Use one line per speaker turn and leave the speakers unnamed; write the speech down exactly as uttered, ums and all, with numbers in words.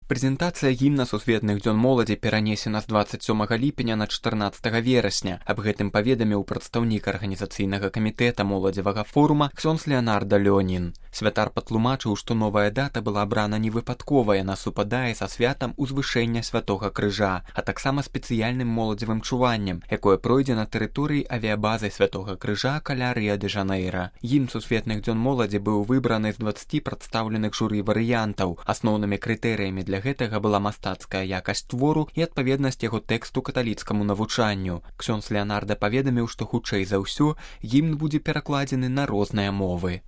Прэзентацыя гімна сусветных дзён моладзі перанесена з дваццаць сёмага ліпеня на чатырнаццатага верасня. Аб гэтым паведаміў прадстаўнік арганізацыйнага камітэта моладзевага форума ксёндз Леанарда Лёнін. Святар патлумачыў, што новая дата была абрана не выпадкова, яна супадае са святам узвышэння святога крыжа, а таксама спецыяльным моладзевым чуваннем, якое пройдзе на тэрыторыі авіябазы святога крыжа каля Рыа-дэ-Жанэйра. Гімн сусветных дзён моладзі быў выбраны з дваццаці прадстаўленых журы варыянтаў. Асноўнымі крытэрыямі для гэтага была мастацкая якасць твору і адпаведнасць яго тэксту каталіцкаму навучанню. Ксёндз Леанарда паведаміў, што хутчэй за ўсё гімн будзе перакладзены на розныя мовы.